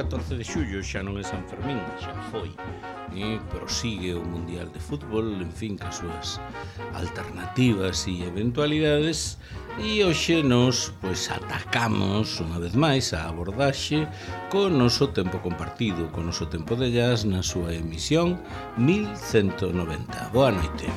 14 de xullo xa non é San Fermín, xa foi. Prosigue o Mundial de Fútbol, en fin, cas súas alternativas e eventualidades, e hoxe nos atacamos unha vez máis a abordaxe co noso tempo compartido, co noso tempo de jazz na súa emisión 1190. Boa noite.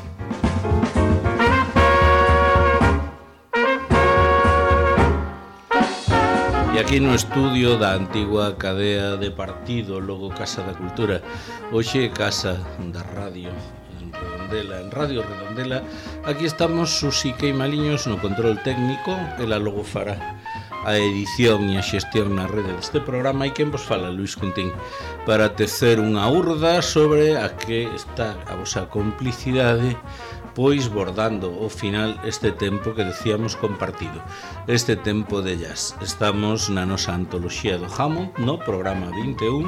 E aquí no estudio da antigua cadea de partido, logo Casa da Cultura, hoxe Casa da Radio en Redondela, en Radio Redondela. Aquí estamos Susi Queimaliños no control técnico, ela logo fará a edición e a xestión na rede deste programa, e quen vos fala, Luís Cuntín, para tecer unha urda sobre a que está a vosa complicidade, pois bordando ao final este tempo que decíamos compartido, este tempo de jazz. Estamos na nosa antoloxía do Hammond, no programa 21,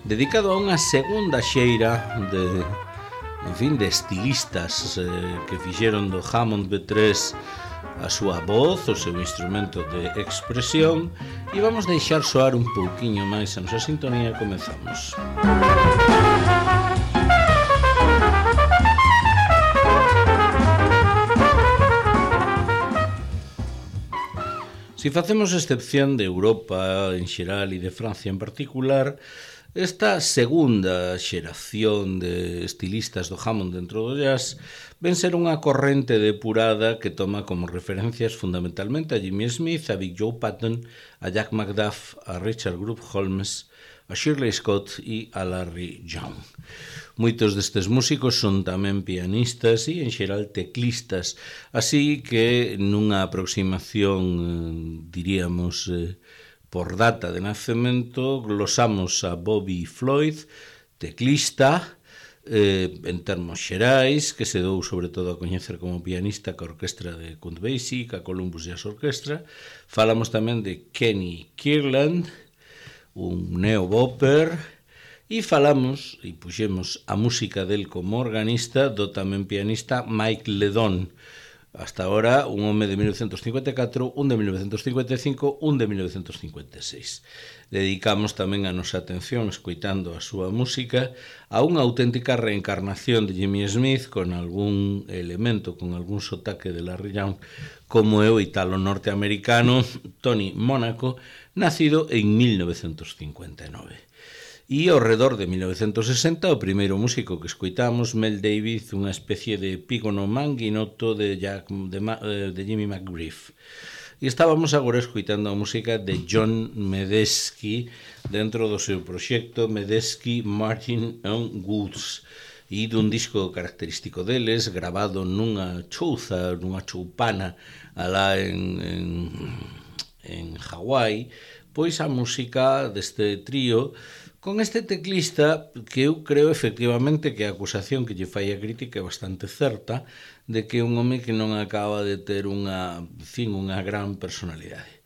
dedicado a unha segunda xeira de estilistas que fixeron do Hammond B3 a súa voz, o seu instrumento de expresión, e vamos deixar soar un pouquiño máis a nosa sintonía. Comezamos. Si facemos excepción de Europa en xeral e de Francia en particular, esta segunda xeración de estilistas do Hammond dentro do jazz ven ser unha corrente depurada que toma como referencias fundamentalmente a Jimmy Smith, a Big Joe Patton, a Jack McDuff, a Richard Groove Holmes, a Shirley Scott e a Larry Young. Moitos destes músicos son tamén pianistas e, en xeral, teclistas, así que nunha aproximación, diríamos, por data de nacemento, glosamos a Bobby Floyd, teclista, en termos xerais, que se dou sobre todo a coñecer como pianista ca orquestra de Count Basie, ca Columbus Jazz Orchestra. Falamos tamén de Kenny Kirtland, un neo-bopper, e falamos, e puxemos a música del como organista do tamén pianista Mike Ledon. Hasta ahora, un home de 1954, un de 1955, un de 1956. Dedicamos tamén a nosa atención, escoitando a súa música, a unha auténtica reencarnación de Jimmy Smith con algún elemento, con algún sotaque de Larry Young, como é o italo-norteamericano Tony Monaco, nacido en 1959. E ao redor de 1960, o primeiro músico que escoitamos, Mel Davis, unha especie de epígono manguinoto de Jimmy McGriff. E estábamos agora escoitando a música de John Medeski dentro do seu proxecto Medeski, Martin and Woods, e dun disco característico deles, grabado nunha chouza, nunha choupana alá en Hawái, pois a música deste trío con este teclista que eu creo efectivamente que a acusación que lle fai a crítica é bastante certa, de que é un home que non acaba de ter unha gran personalidade.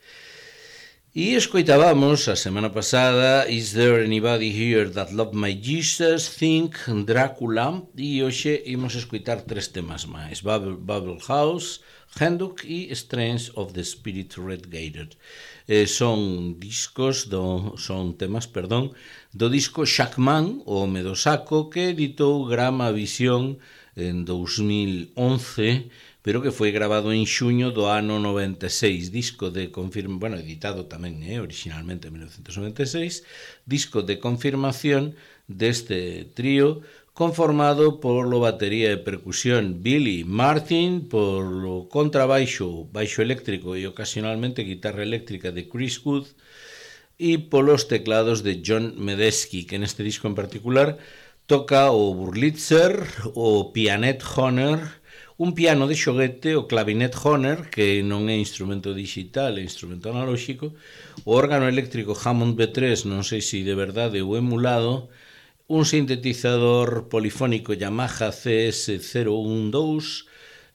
E escoitábamos a semana pasada Is There Anybody Here That Loved My Jesus, Think, Drácula, e hoxe imos escoitar tres temas máis: Bubble House, Handbook e Strains of the Spirit Red-Gated. Son temas do disco Shackman, o home do saco, que editou Grama Visión en 2011, pero que foi grabado en xuño do ano 96, disco de editado tamén originalmente en 1996, disco de confirmación deste trío, conformado polo batería e percusión Billy Martin, polo contrabaixo, baixo eléctrico e ocasionalmente guitarra eléctrica de Chris Wood, e polos teclados de John Medeski, que neste disco en particular toca o Wurlitzer, o Pianet Honer, un piano de xoguete, o clavinet Honer, que non é instrumento digital, é instrumento analóxico, o órgano eléctrico Hammond B3, non sei se de verdade ou emulado, un sintetizador polifónico Yamaha CS012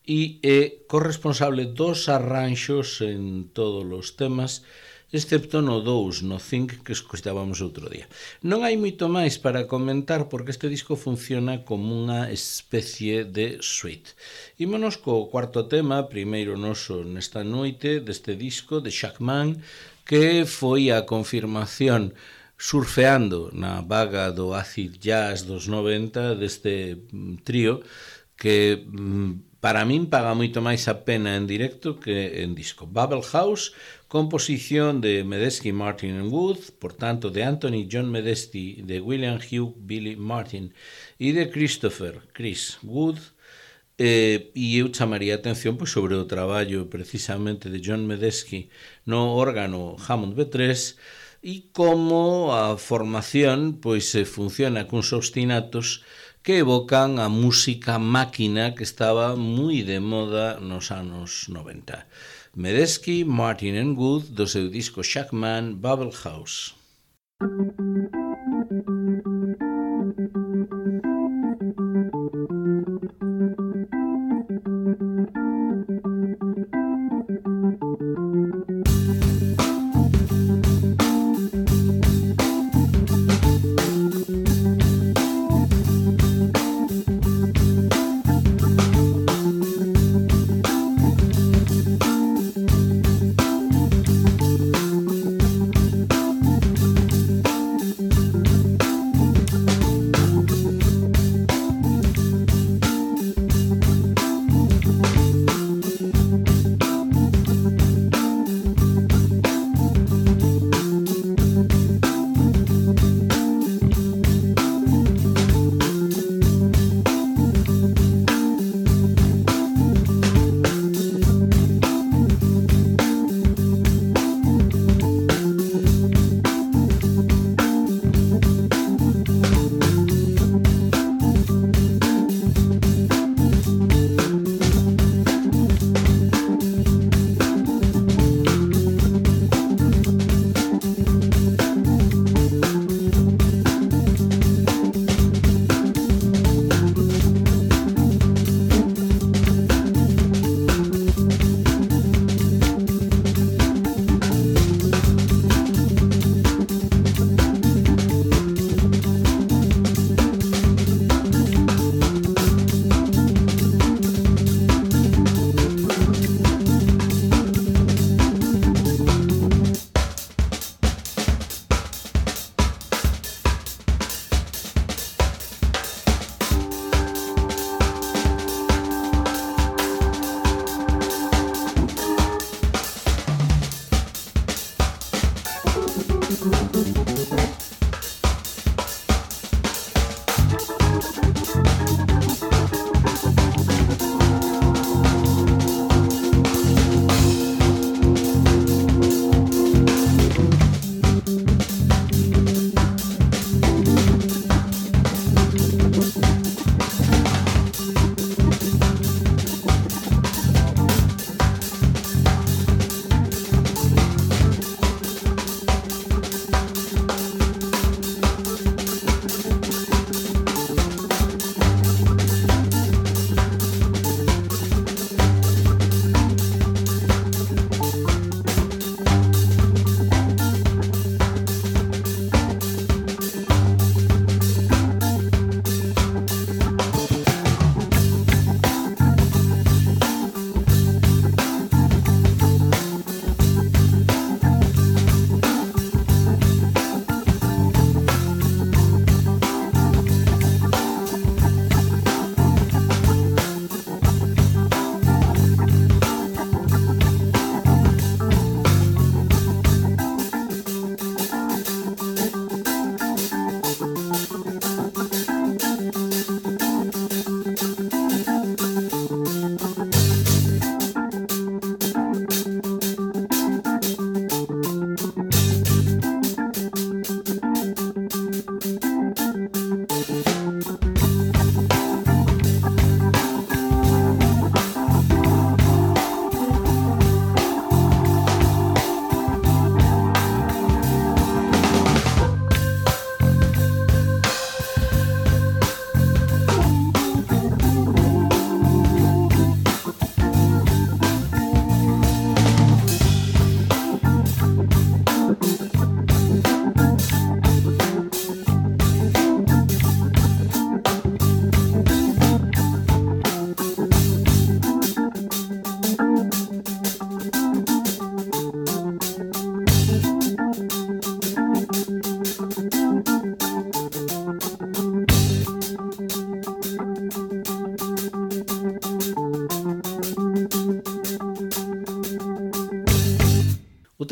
e é corresponsable dos arranxos en todos os temas, excepto no 2, no Think, que escoitábamos outro día. Non hai moito máis para comentar porque este disco funciona como unha especie de suite. Ímonos co cuarto tema, primeiro noso nesta noite, deste disco de Shackman, que foi a confirmación surfeando na vaga do acid jazz dos 90 deste trío que para min paga moito máis a pena en directo que en disco. Bubble House, composición de Medeski, Martin and Wood, por tanto de Anthony John Medeski, de William Hugh Billy Martin e de Chris Wood. E eu chamaría a atención pois, sobre o traballo precisamente de John Medeski no órgano Hammond B3 e como a formación pois funciona cuns obstinatos que evocan a música máquina que estaba moi de moda nos anos 90. Medeski, Martin and Wood, do seu disco Shackman, Bubble House.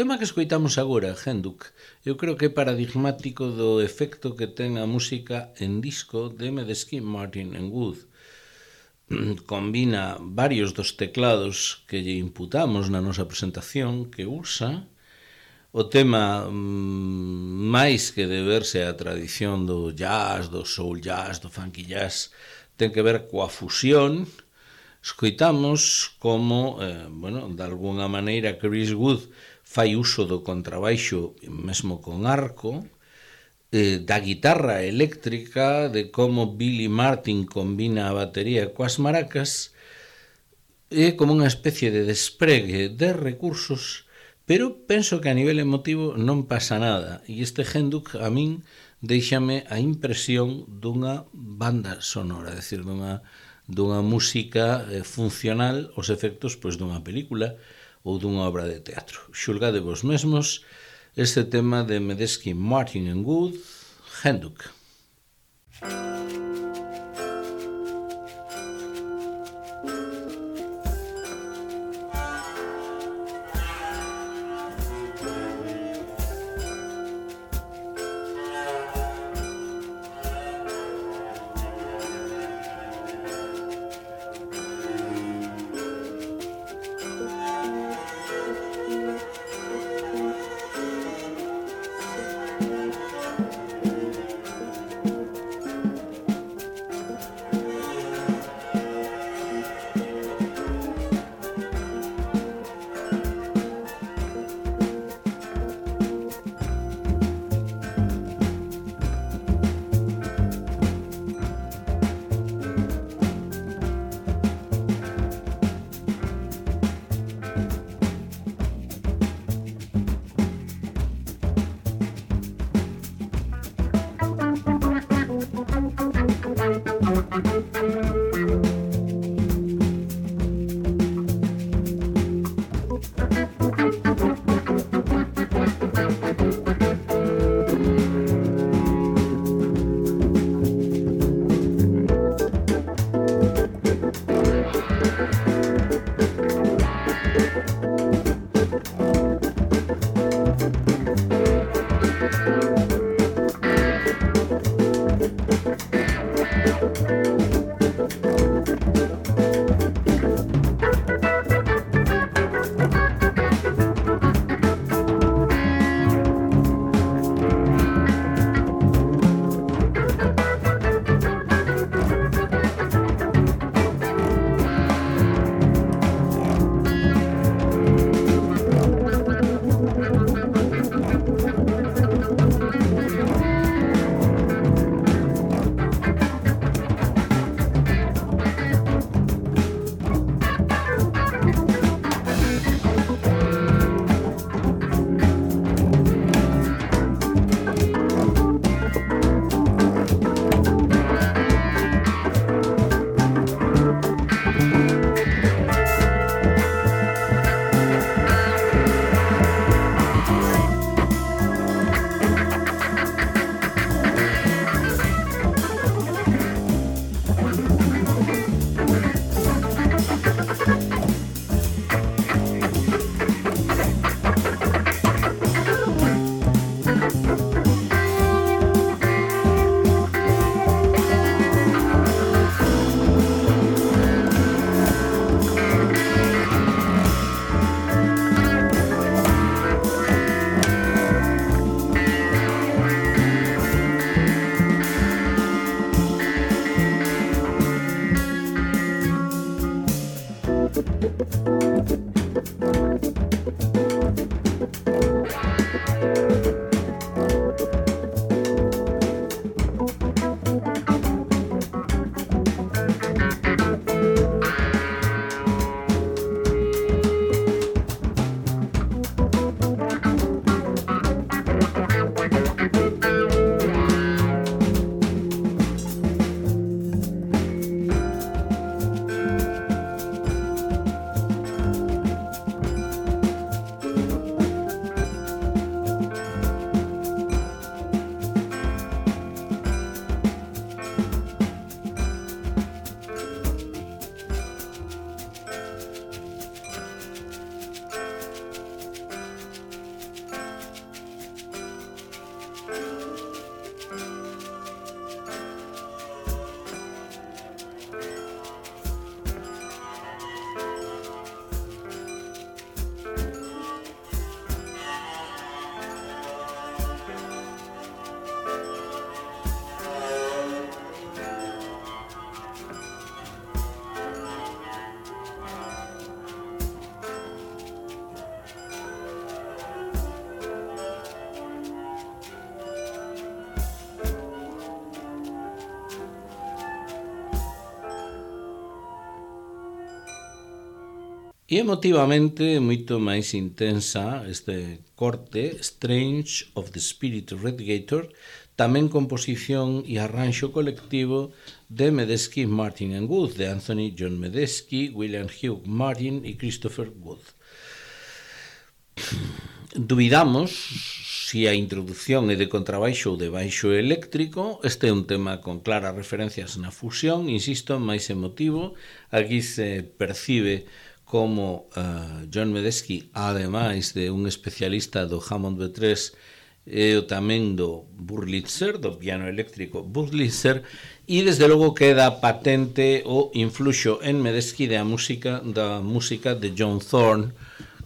tema que escoitamos agora, Henduk, eu creo que é paradigmático do efecto que ten a música en disco de Medeski Martin Wood. Combina varios dos teclados que lle imputamos na nosa presentación que usa. O tema, máis que deberse á tradición do jazz, do soul jazz, do funky jazz, ten que ver coa fusión. Escoitamos como, de alguna maneira, Chris Wood fai uso do contrabaixo mesmo con arco, da guitarra eléctrica, de como Billy Martin combina a batería coas maracas, é como unha especie de despregue de recursos, pero penso que a nivel emotivo non pasa nada, e este Henduk a min deixame a impresión dunha banda sonora, é dicir, dunha música funcional aos efectos dunha película ou dunha obra de teatro. Xulgade vos mesmos este tema de Medeski Martin Wood, Henduk. E emotivamente moito máis intensa este corte Strange of the Spirit Radiator, tamén composición e arranxo colectivo de Medeski, Martin and Wood, de Anthony John Medeski, William Hugh Martin e Christopher Wood. Dubidamos se a introducción é de contrabaixo ou de baixo eléctrico. Este é un tema con claras referencias na fusión, insisto, máis emotivo. Aquí se percibe como John Medeski, ademais de un especialista do Hammond B3 e tamén do Wurlitzer, do piano eléctrico Wurlitzer, e desde logo queda patente o influxo en Medeski da música de John Thorne,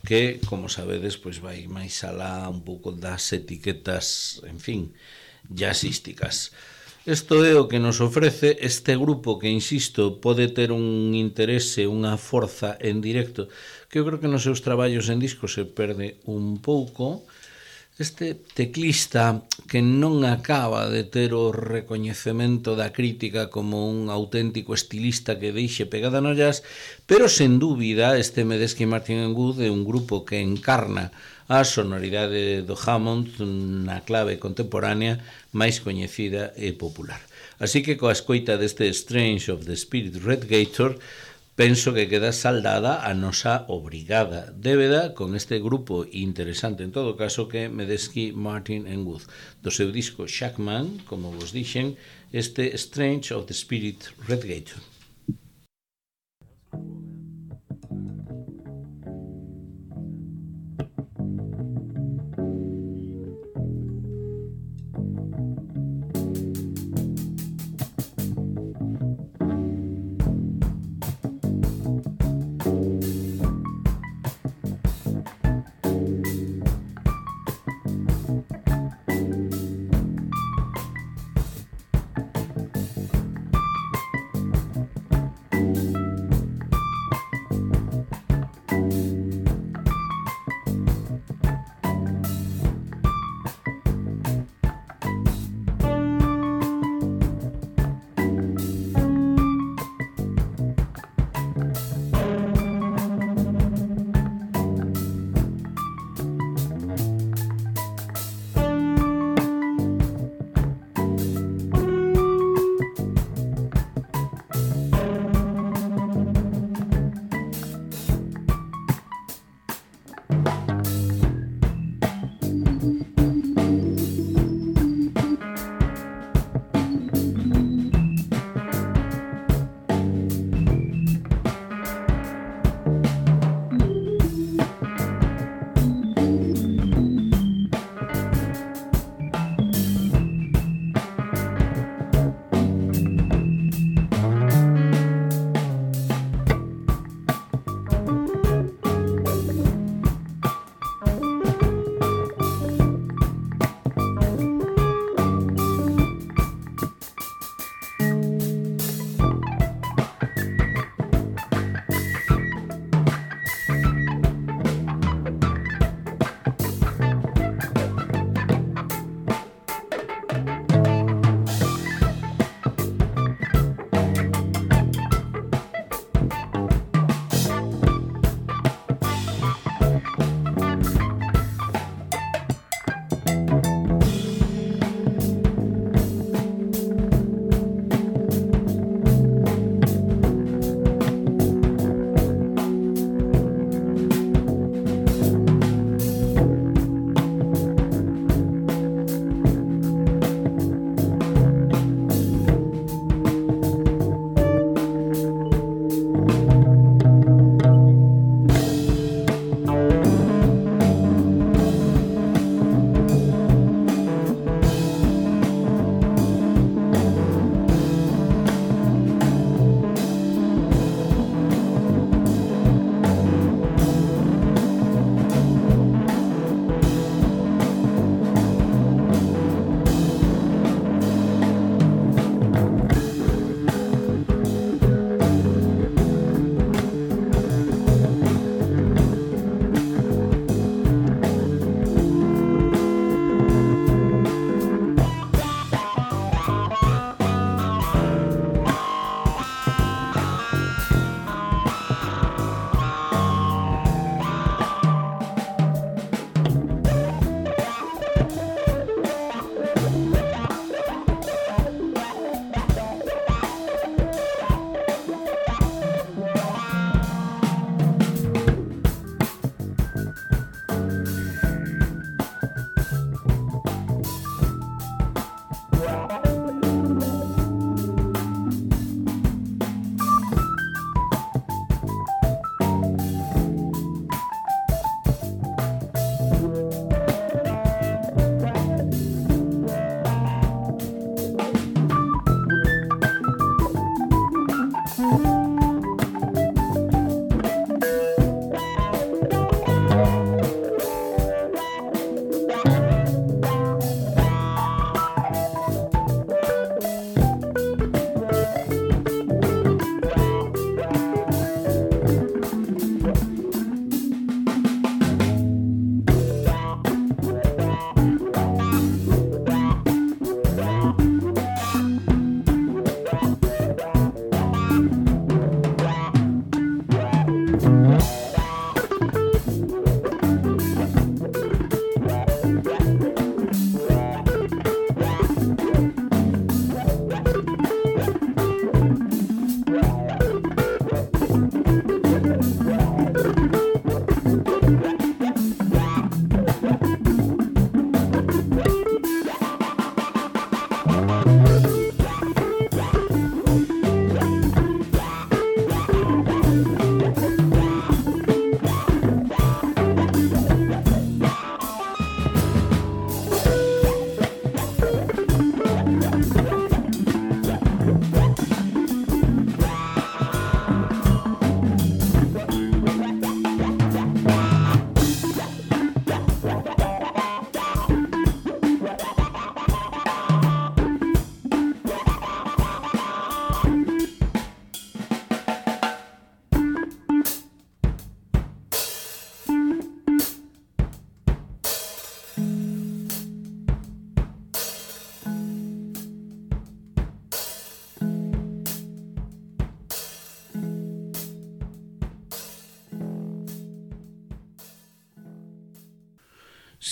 que, como sabedes, pois vai máis alá un pouco das etiquetas, en fin, jazzísticas. Isto é o que nos ofrece este grupo que, insisto, pode ter un interese, unha forza en directo, que eu creo que nos seus traballos en disco se perde un pouco. Este teclista que non acaba de ter o recoñecemento da crítica como un auténtico estilista que deixe pegada no jazz, pero sen dúbida este Medeski Martin & Wood é un grupo que encarna a sonoridade do Hammond na clave contemporánea máis coñecida e popular. Así que coa escoita deste Strange of the Spirit Radiator penso que queda saldada a nosa obrigada débeda con este grupo interesante en todo caso que é Medeski Martin & Wood. Do seu disco Shackman, como vos dixen, este Strange of the Spirit Radiator.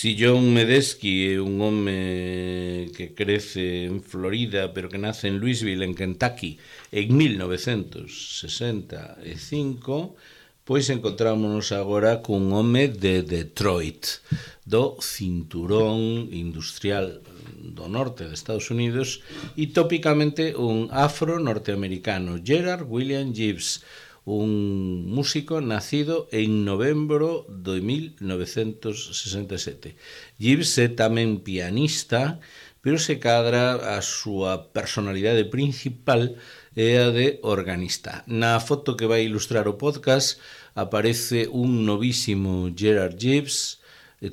Si John Medeski é un home que crece en Florida, pero que nace en Louisville, en Kentucky, en 1965, pois encontrámonos agora cun home de Detroit, do cinturón industrial do norte de Estados Unidos, e tópicamente un afro-norteamericano, Gerard William Gibbs, un músico nacido en novembro de 1967. Gibbs é tamén pianista, pero se cadra a súa personalidade principal é a de organista. Na foto que vai ilustrar o podcast aparece un novísimo Gerard Gibbs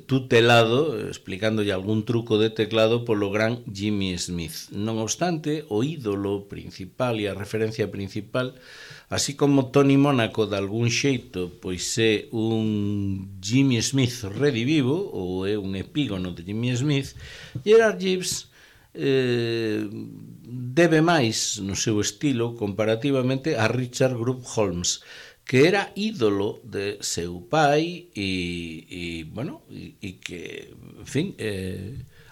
tutelado, explicándolle algún truco de teclado polo gran Jimmy Smith. Non obstante, o ídolo principal e a referencia principal, así como Tony Mónaco de algún xeito, pois é un Jimmy Smith redivivo, ou é un epígono de Jimmy Smith, Gerard Gibbs debe máis no seu estilo comparativamente a Richard Group Holmes, que era ídolo de seu pai e que, en fin,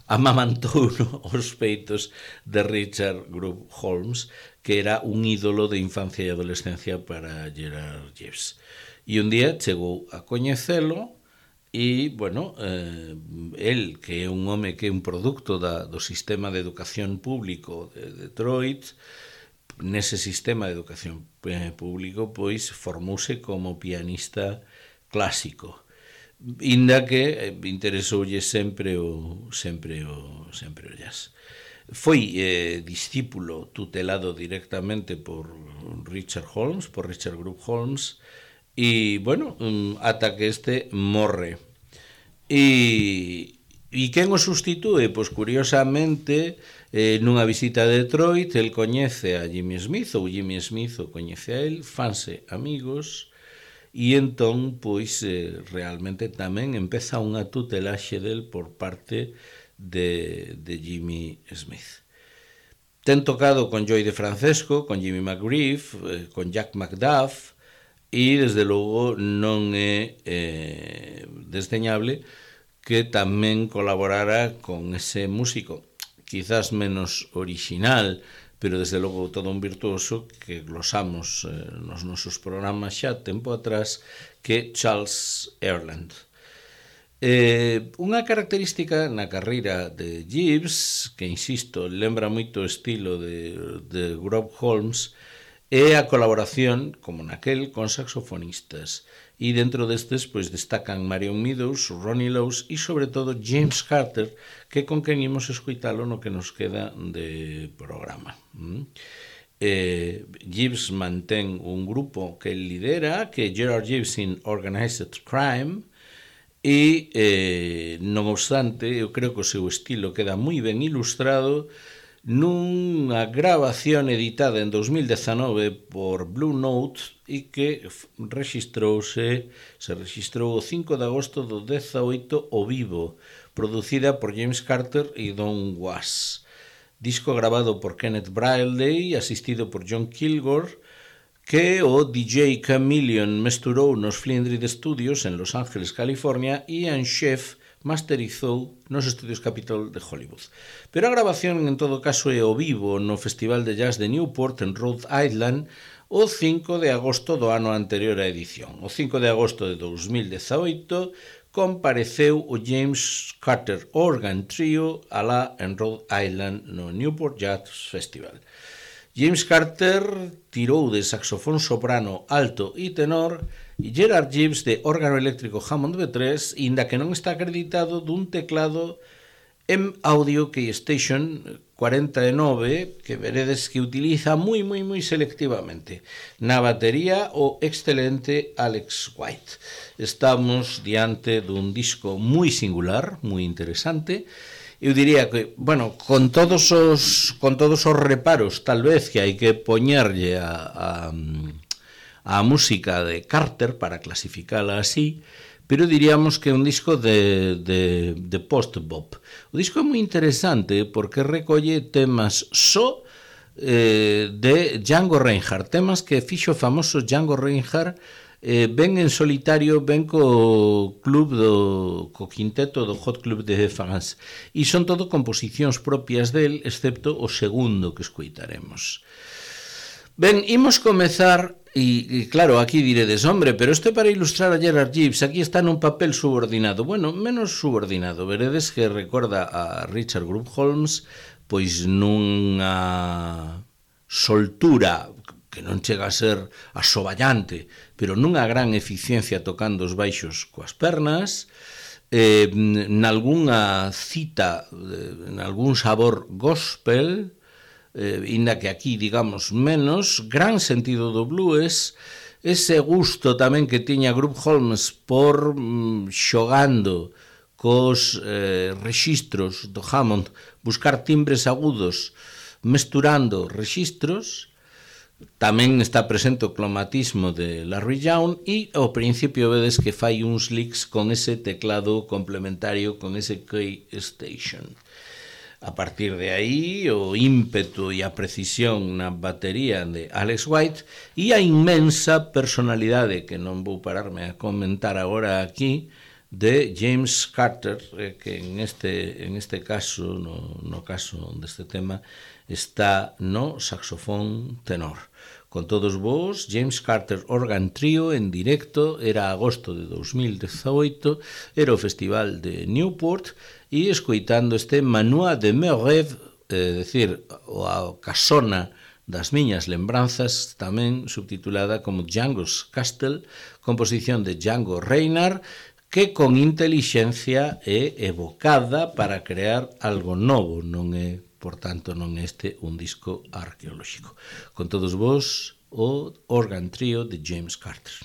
amamantou os peitos de Richard Group Holmes, que era un ídolo de infancia e adolescencia para Gerard Gibbs. E un día chegou a coñecelo e, el, que é un home que é un producto do sistema de educación público de Detroit, nese sistema de educación público, pois formouse como pianista clásico, inda que interesoulle sempre o jazz. Foi discípulo tutelado directamente por Richard Group Holmes, e, ata que este morre. E quen o sustitúe? Pois, curiosamente, nunha visita a Detroit, el coñece a Jimmy Smith, ou Jimmy Smith o coñece a el, fanse amigos, e entón, pois, realmente tamén empeza unha tutelaxe del por parte de Jimmy Smith. Ten tocado con Joey DeFrancesco, con Jimmy McGriff, con Jack McDuff, e, desde logo, non é desdeñable que tamén colaborara con ese músico, quizás menos original, pero desde logo todo un virtuoso que glosamos nos nosos programas xa tempo atrás, que Charles Earland. Unha característica na carreira de Gibbs, que, insisto, lembra moito o estilo de Group Holmes, é a colaboración, como naquel, con saxofonistas. E dentro destes, pois, destacan Marion Meadows, Ronnie Lowes e, sobre todo, James Carter, que con quen imos escoitalo no que nos queda de programa. Gibbs mantén un grupo que lidera, que é Gerard Gibbs in Organized Crime, e, non obstante, eu creo que o seu estilo queda moi ben ilustrado nunha grabación editada en 2019 por Blue Note e que se registrou o 5 de agosto do 18 ao vivo, producida por James Carter e Don Was. Disco grabado por Kenneth Bradley, asistido por John Kilgore, que o DJ Chameleon mesturou nos Flindred Studios en Los Ángeles, California, e Ian Sheff masterizou nos estudios Capitol de Hollywood. Pero a grabación, en todo caso, é o vivo no Festival de Jazz de Newport, en Rhode Island, o 5 de agosto do ano anterior á edición. O 5 de agosto de 2018 compareceu o James Carter Organ Trio alá en Rhode Island no Newport Jazz Festival. James Carter tirou de saxofón soprano, alto e tenor, e Gerard Gibbs de órgano eléctrico Hammond B3, inda que non está acreditado dun teclado M-Audio Keystation 49, que veredes que utiliza moi selectivamente. Na batería, o excelente Alex White. Estamos diante dun disco moi singular, moi interesante. Eu diría que, bueno, con todos os reparos, tal vez, que hai que poñerlle a música de Carter para clasificala así, pero diríamos que é un disco de post-bop. O disco é moi interesante porque recolle temas só de Django Reinhardt, temas que fixo o famoso Django Reinhardt, ven en solitario, ven co quinteto do Hot Club de France, e son todo composicións propias del, excepto o segundo que escoitaremos. Ben, imos comezar, e claro, aquí diredes, hombre, pero isto é para ilustrar a Gerard Gibbs, aquí está nun papel subordinado. Bueno, menos subordinado, veredes que recorda a Richard Group Holmes, pois nunha soltura que non chega a ser asoballante, pero nunha gran eficiencia tocando os baixos coas pernas, nalgúnha cita, nalgún sabor gospel, inda que aquí, digamos, menos, gran sentido do blues, ese gusto tamén que tiña Group Holmes por xogando cos rexistros do Hammond, buscar timbres agudos, mesturando rexistros. Tamén está presente o cromatismo de Larry Young e ao principio vedes que fai uns licks con ese teclado complementario, con ese Keystation. A partir de aí, o ímpetu e a precisión na batería de Alex White e a inmensa personalidade, que non vou pararme a comentar agora aquí, de James Carter, que en este caso, no caso deste tema, está no saxofón tenor. Con todos vos, James Carter Organ Trio en directo, era agosto de 2018, era o Festival de Newport, e escoitando este Manoir de mes rêves, decir, a casona das miñas lembranzas, tamén subtitulada como Django's Castle, composición de Django Reinhardt, que con intelixencia é evocada para crear algo novo, non é, por tanto, non este un disco arqueolóxico. Con todos vos, o Organ Trio de James Carter.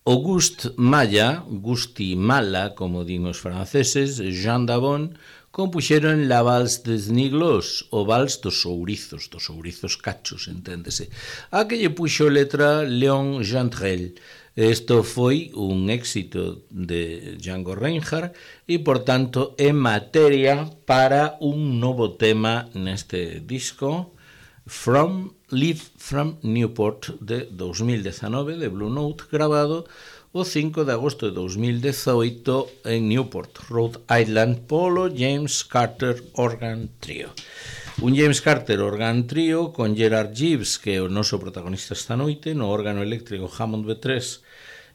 Auguste Malla, Gusti Mala, como din os franceses, Jean Davon, compuxeron La Vals des Niglos, o vals dos ourizos cachos, enténdese, a que lle puxo letra Léon Jantrel. Isto foi un éxito de Django Reinhardt e, por tanto, é materia para un novo tema neste disco, Live from Newport, de 2019, de Blue Note, grabado o 5 de agosto de 2018 en Newport, Rhode Island, polo James Carter Organ Trio. Un James Carter Organ Trio con Gerard Gibbs, que é o noso protagonista esta noite, no órgano eléctrico Hammond B3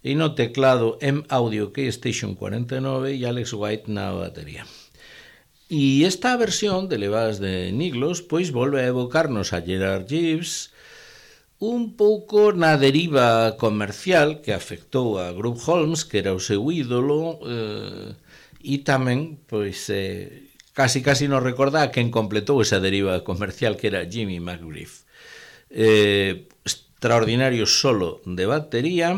e no teclado M-Audio Keystation 49 e Alex White na batería. E esta versión de Levas de Niglos pois volve a evocarnos a Gerard Gibbs un pouco na deriva comercial que afectou a Groove Holmes, que era o seu ídolo, e tamén pois casi nos recorda a quen completou esa deriva comercial, que era Jimmy McGriff. Extraordinario solo de batería.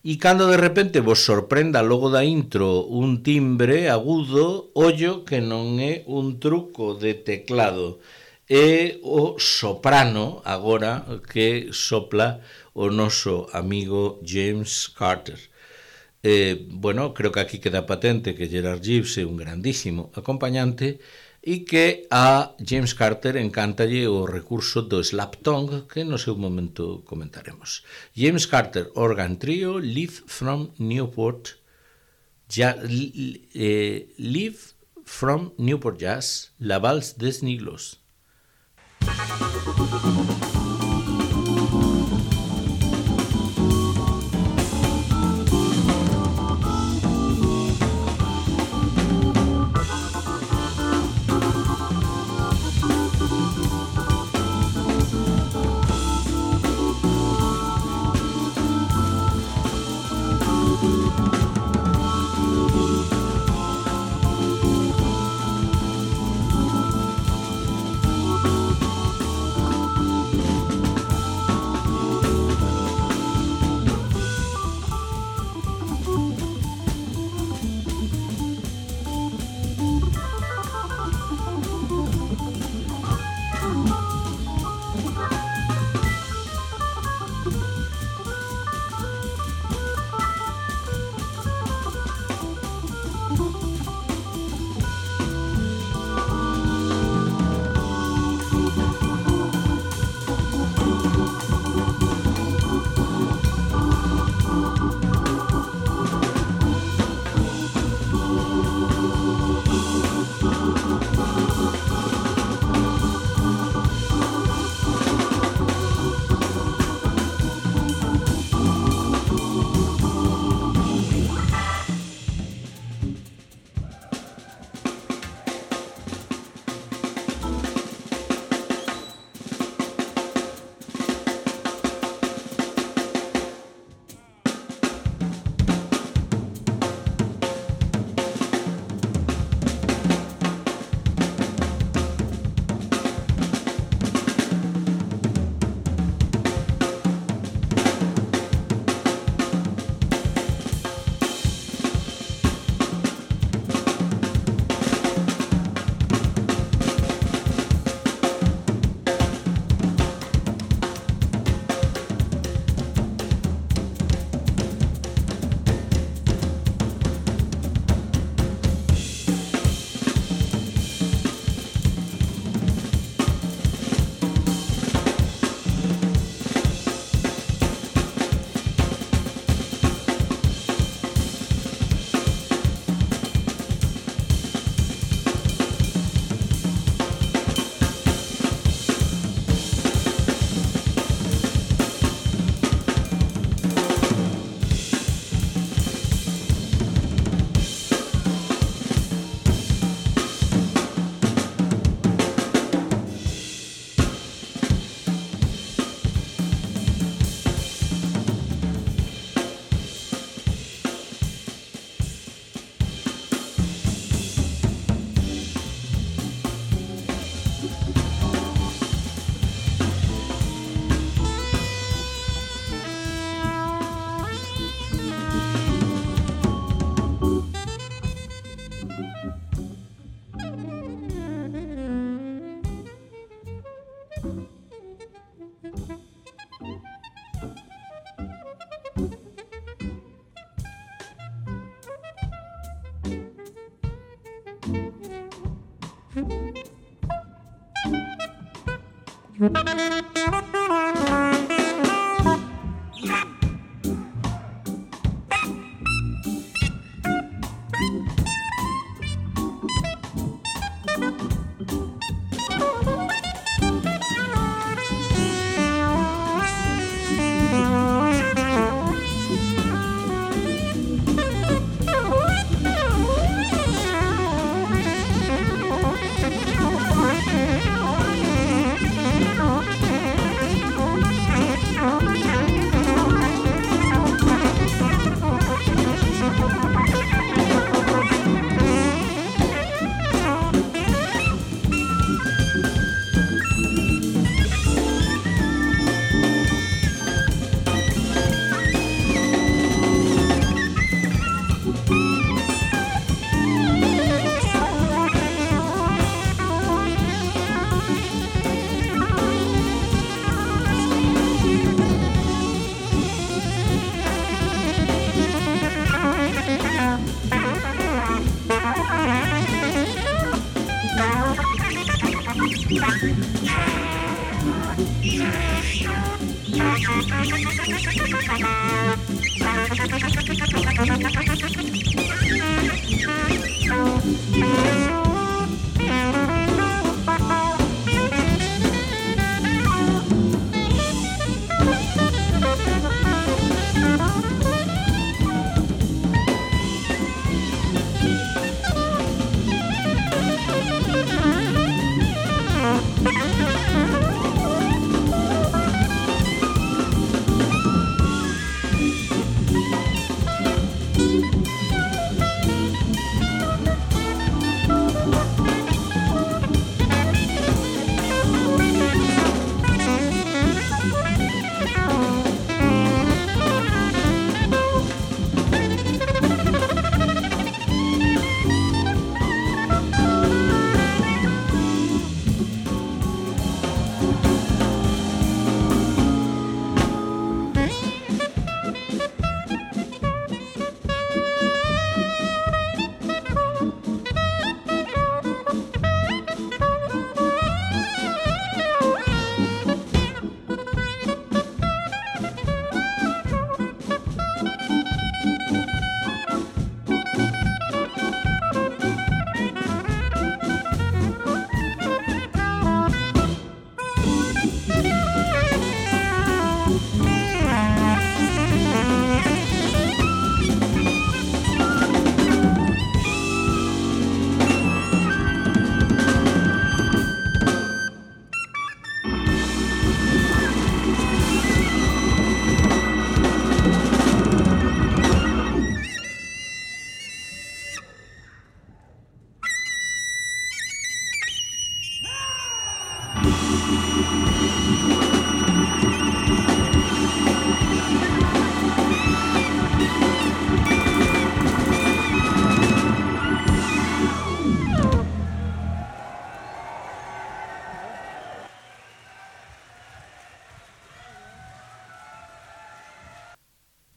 E cando de repente vos sorprenda logo da intro un timbre agudo, ollo que non é un truco de teclado, é o soprano agora que sopla o noso amigo James Carter. Bueno, creo que aquí queda patente que Gerard Gibbs é un grandísimo acompañante e que a James Carter encantalle o recurso do slap tongue que no seu momento comentaremos. James Carter Organ Trio, Live from Newport Jazz, La Vals des Niglos.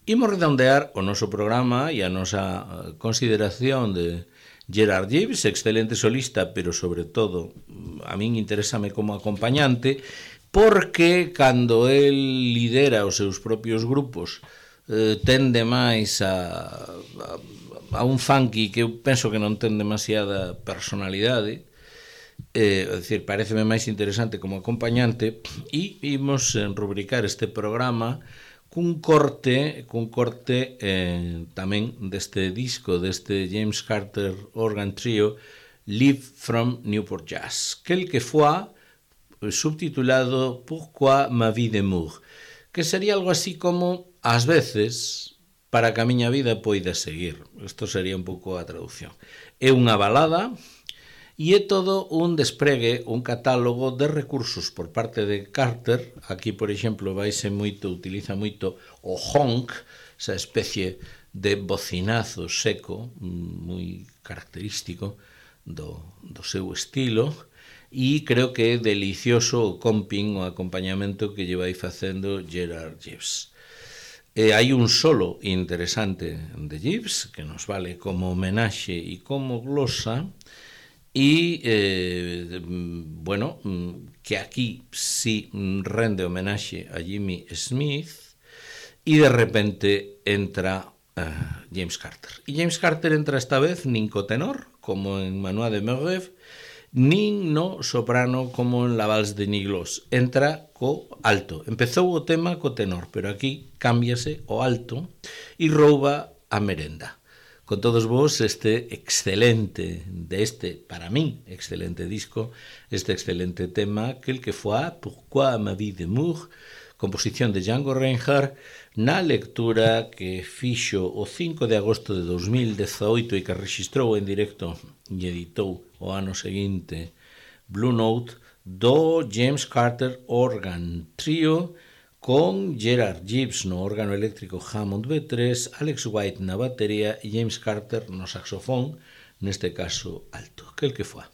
Imos redondear o noso programa e a nosa consideración de Gerard Gibbs, excelente solista, pero sobre todo a min interésame como acompañante, porque cando el lidera os seus propios grupos tende máis a un funky que eu penso que non ten demasiada personalidade, é dicir, pareceme máis interesante como acompañante, e imos rubricar este programa cun corte tamén deste disco, deste James Carter Organ Trio, Live from Newport Jazz, que foi subtitulado Pourquoi ma vie d'amour, que sería algo así como ás veces para que a miña vida poida seguir. Isto sería un pouco a traducción. É unha balada e é todo un despregue, un catálogo de recursos por parte de Carter. Aquí, por exemplo, utiliza moito o honk, esa especie de bocinazo seco, moi característico do seu estilo, e creo que é delicioso o comping, o acompañamento que lle vai facendo Gerard Gibbs. Hai un solo interesante de Gibbs, que nos vale como homenaxe e como glosa, e, bueno, que aquí sí rende homenaxe a Jimmy Smith, e de repente entra James Carter. E James Carter entra esta vez nin co tenor, como en Manoir de Meurève, nin no soprano como en La Valse de Nigloos. Entra co alto. Empezou o tema co tenor, pero aquí cámbiase o alto e rouba a merenda. Con todos vos este excelente, para mí, excelente disco, este excelente tema, Quelquefois, Pourquoi ma vie d'amour, composición de Django Reinhardt, na lectura que fixo o 5 de agosto de 2018 e que registrou en directo e editou o ano seguinte Blue Note do James Carter Organ Trio con Gerard Gibbs no órgano eléctrico Hammond B3, Alex White na batería e James Carter no saxofón, neste caso alto. Quelquefois.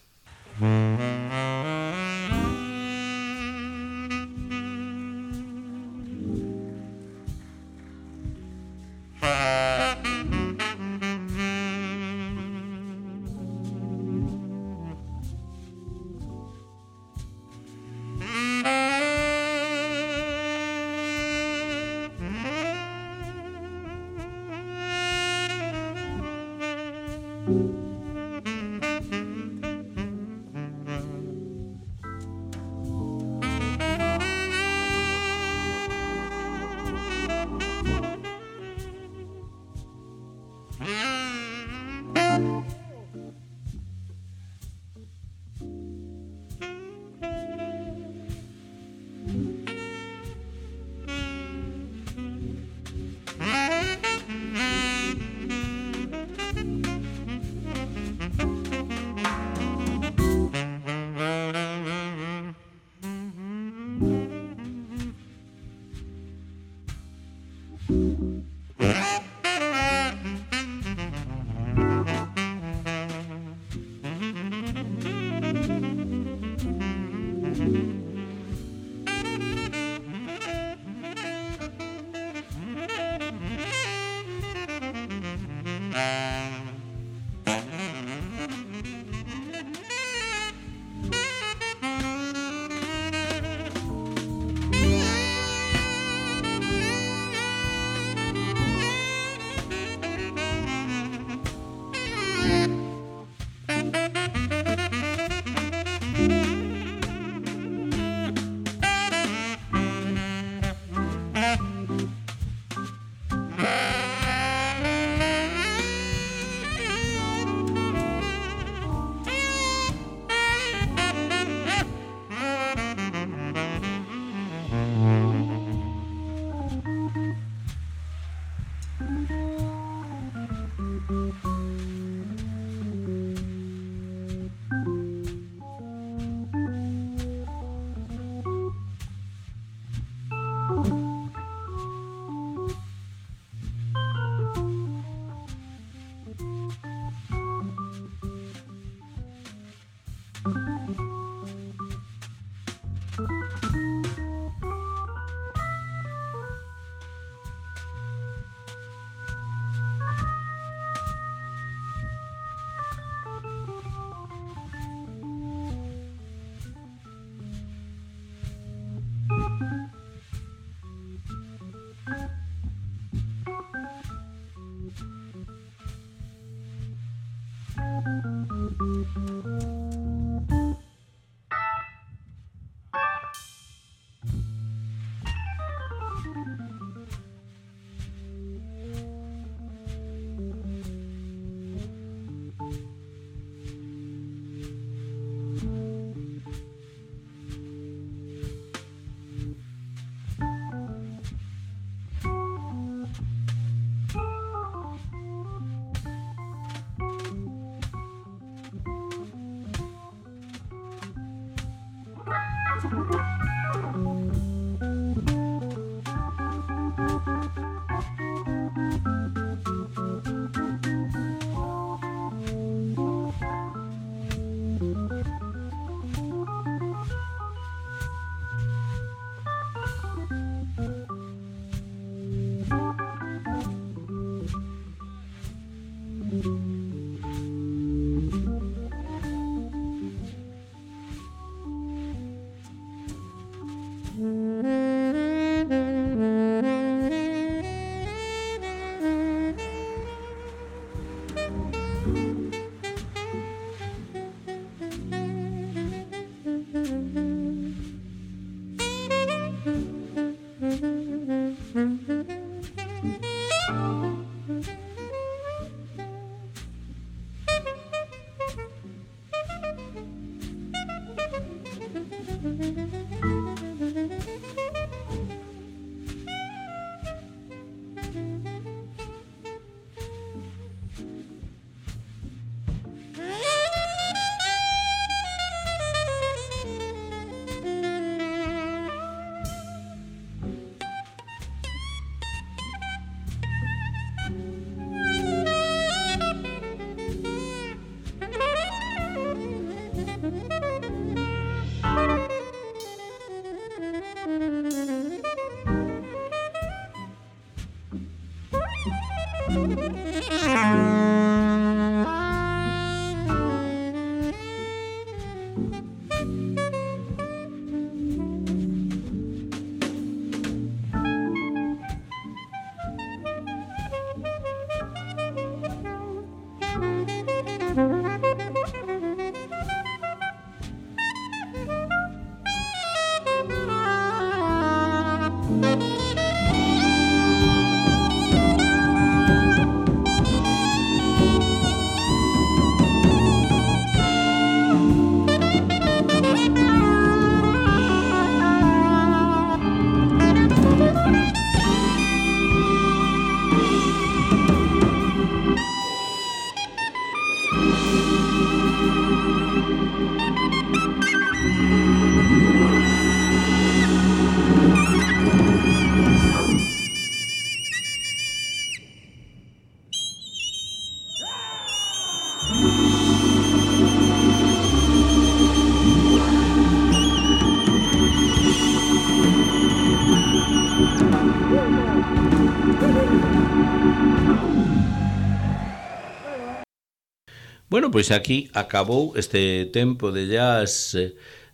Bueno, pois aquí acabou este tempo de jazz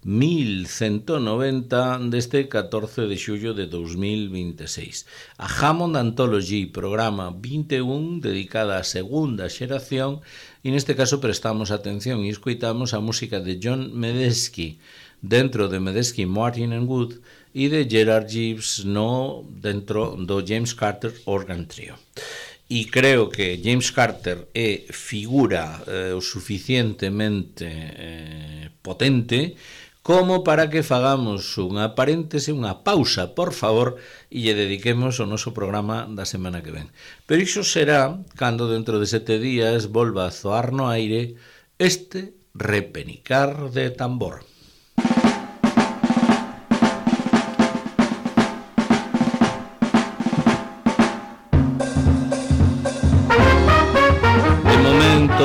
1190 deste 14 de xullo de 2026. A Hammond Anthology, programa 21, dedicada á segunda xeración, e neste caso prestamos atención e escoitamos a música de John Medeski, dentro de Medeski, Martin and Wood, e de Gerard Gibbs dentro do James Carter Organ Trio. E creo que James Carter é figura o suficientemente potente como para que fagamos unha paréntese, unha pausa, por favor, e lle dediquemos o noso programa da semana que ven. Pero iso será cando dentro de 7 días volva a zoar no aire este repenicar de tambor.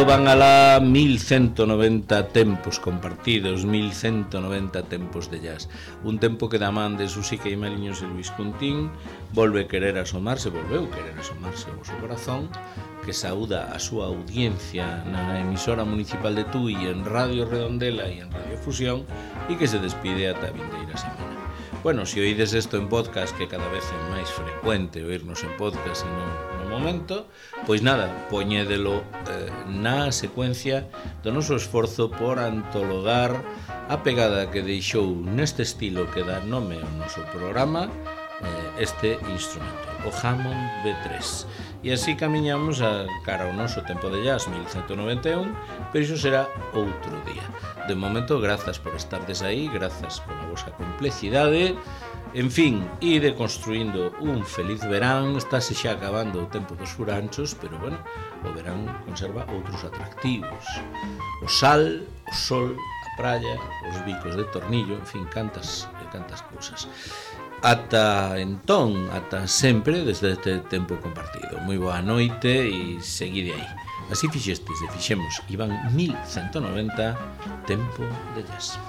Van alá 1190 tempos compartidos, 1190 tempos de jazz. Un tempo que da man de Susi Queimaliños e Luis Cuntín volveu querer asomarse ao seu corazón, que saúda a súa audiencia na emisora municipal de Tui, en Radio Redondela e en Radio Fusión, e que se despide ata a vindeira semana. Bueno, se oídes isto en podcast, que cada vez é máis frecuente oírnos en podcast e non no momento, pois nada, poñédelo na secuencia do noso esforzo por antologar a pegada que deixou neste estilo que dá nome ao noso programa este instrumento, o Hammond B3. E así camiñamos a cara ao noso tempo de jazz 1191, pero iso será outro día. De momento, grazas por estardes aí, grazas pola vosa complexidade. En fin, ide construindo un feliz verán. Estáse xa acabando o tempo dos furanchos, pero bueno, o verán conserva outros atractivos. O sal, o sol, a praia, os bicos de tornillo, en fin, cantas cousas. Ata entón, ata sempre, desde este tempo compartido. Moi boa noite e seguide aí. Así fixestes e fixemos, iban 1190 tempo de jazz.